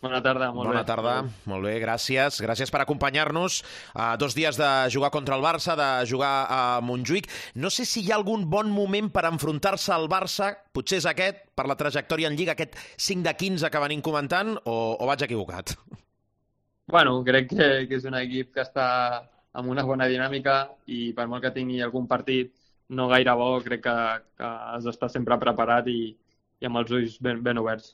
Bona tarda, molt bé. Bona tarda, molt bé, gràcies. Gràcies per acompanyar-nos. 2 dies de jugar contra el Barça, de jugar a Montjuïc. No sé si hi ha algun bon moment per enfrontar-se al Barça, potser és aquest, per la trajectòria en Lliga, aquest 5 de 15 que venim comentant, o vaig equivocat? Bueno, crec que és un equip que està amb una bona dinàmica i per molt que tingui algun partit no gaire bo, crec que has d'estar sempre preparat i amb els ulls ben oberts.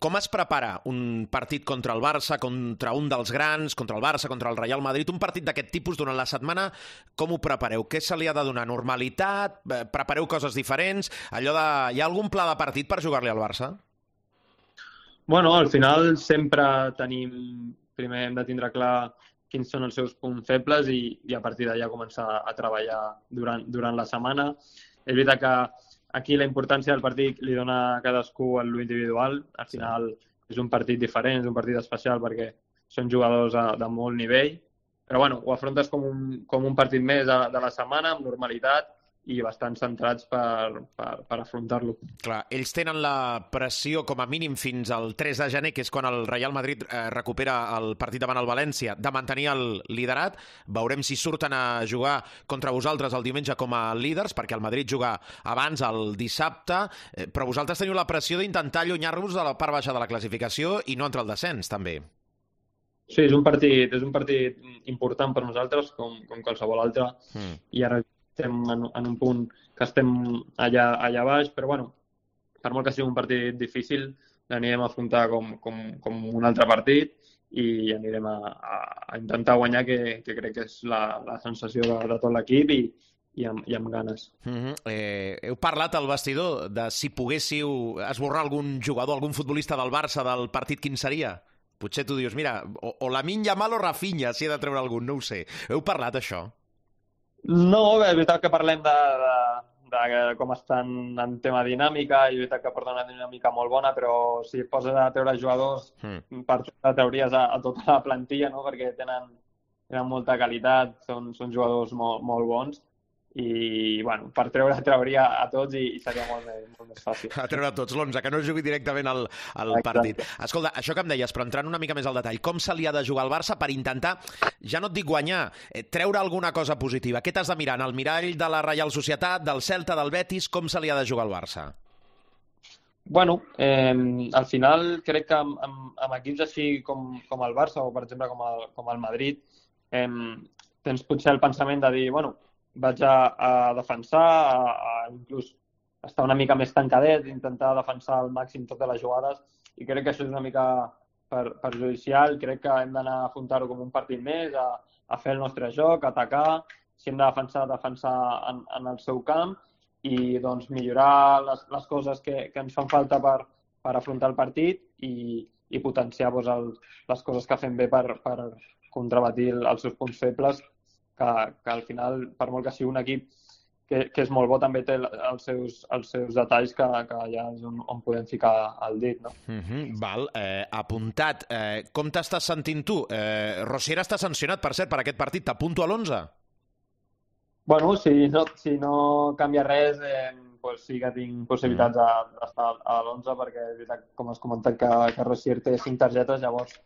Com es prepara un partit contra el Barça, contra un dels grans, contra el Barça, contra el Real Madrid? Un partit d'aquest tipus durant la setmana, com ho prepareu? Què se li ha de donar? Normalitat? Prepareu coses diferents? Hi ha algun pla de partit per jugar-li al Barça? Bueno, al final sempre primer hem de tindre clar quins són els seus punts febles i a partir d'allà començar a treballar durant la setmana. És veritat que aquí la importància del partit li dona a cadascú en l'individual. Al final és un partit diferent, és un partit especial perquè són jugadors de molt nivell. Però bueno, ho afrontes com un partit més de la setmana, amb normalitat i bastant centrats per afrontar-lo. Clar, ells tenen la pressió com a mínim fins al 3 de gener, que és quan el Real Madrid recupera el partit davant el València, de mantenir el liderat. Veurem si surten a jugar contra vosaltres el diumenge com a líders, perquè el Madrid juga abans, el dissabte, però vosaltres teniu la pressió d'intentar allunyar-vos de la part baixa de la classificació i no entre el descens, també. Sí, és un partit important per nosaltres, com qualsevol altre, i ara estem en un punt que estem allà baix, però bueno, per molt que sigui un partit difícil, l'anirem a afrontar com un altre partit i anirem a intentar guanyar, que crec que és la sensació de tot l'equip i amb ganes. Heu parlat al vestidor de si poguéssiu esborrar algun jugador, algun futbolista del Barça del partit, quin seria? Potser tu dius, mira, o Lamine Yamal o Rafinha, si he de treure algun, no ho sé. Heu parlat, això? No, bé, és veritat que parlem de com estan en tema dinàmica i és veritat que porten una dinàmica molt bona, però si et poses a treure jugadors, per trauries a tota la plantilla, no? Perquè tenen molta qualitat, són jugadors molt bons i bueno, per trauria a tots i seria molt més fàcil. A treure a tots l'11, que no jugui directament al partit. Escolta, això que em deies, però entrant una mica més al detall, com se li ha de jugar al Barça per intentar, ja no et dic guanyar, treure alguna cosa positiva? Què t'has de mirar? En el mirall de la Reial Societat, del Celta, del Betis, com se li ha de jugar al Barça? Bueno, al final crec que amb equips així com el Barça o, per exemple, com el Madrid, tens potser el pensament de dir, bueno, vaig a defensar, a inclús estar una mica més tancadet, intentar defensar al màxim totes les jugades, i crec que això és una mica perjudicial. Crec que hem d'anar a afrontar-ho com un partit més, a fer el nostre joc, a atacar, si hem de defensar en el seu camp i doncs millorar les coses que ens fan falta per afrontar el partit i potenciar les coses que fem bé per contrabatir els seus punts febles, que al final, per molt que sigui un equip que és molt bo, també té els seus detalls que allà és on podem ficar el dit, no? Val, apuntat. Com t'estàs sentint tu? Rosier està sancionat, per cert, per aquest partit. T'apunto a l'11? Bueno, si no canvia res, doncs sí que tinc possibilitats d'estar a l'11, perquè és veritat, com has comentat, que Rosier té 5 targetes, llavors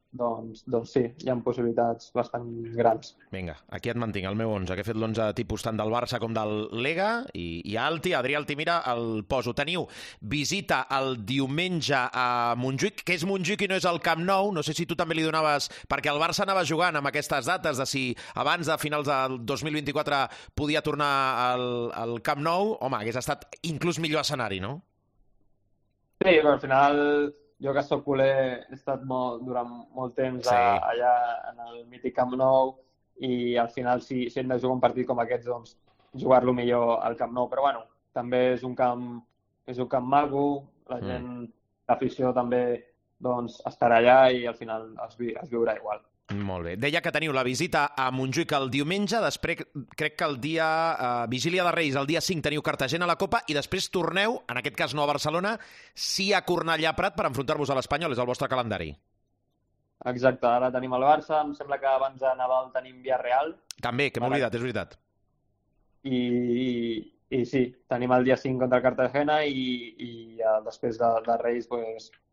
doncs sí, hi ha possibilitats bastant grans. Vinga, aquí et mantinc, el meu 11, que he fet l'11 tipus tant del Barça com del Lega, i Alti, Adrià Altimira, el poso. Teniu visita el diumenge a Montjuïc, que és Montjuïc i no és el Camp Nou. No sé si tu també li donaves, perquè el Barça anava jugant amb aquestes dates de si abans de finals del 2024 podia tornar al Camp Nou. Home, hagués estat inclús millor escenari, no? Sí, però al final jo que soc culer he estat durant molt temps allà en el mític Camp Nou i al final si hem de jugar un partit com aquest, doncs jugar-lo millor al Camp Nou. Però bueno, també és un camp maco, la gent, l'afició també doncs estarà allà i al final es viurà igual. Molt bé. Deia que teniu la visita a Montjuïc el diumenge, després crec que el dia Vigília de Reis, el dia 5 teniu Cartagena a la Copa i després torneu, en aquest cas no a Barcelona, sí a Cornellà Prat per enfrontar-vos a l'Espanyol, és el vostre calendari. Exacte, ara tenim el Barça, em sembla que abans de Nadal tenim Villarreal. També, que m'he oblidat, és veritat. I sí, tenim el dia 5 contra el Cartagena i després de Reis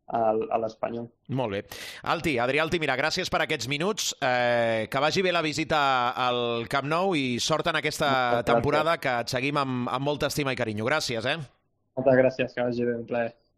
a l'Espanyol. Molt bé. Adrià Altimira, gràcies per aquests minuts. Que vagi bé la visita al Camp Nou i sort en aquesta temporada, que et seguim amb molta estima i carinyo. Gràcies, Moltes gràcies, que vagi bé, un plaer.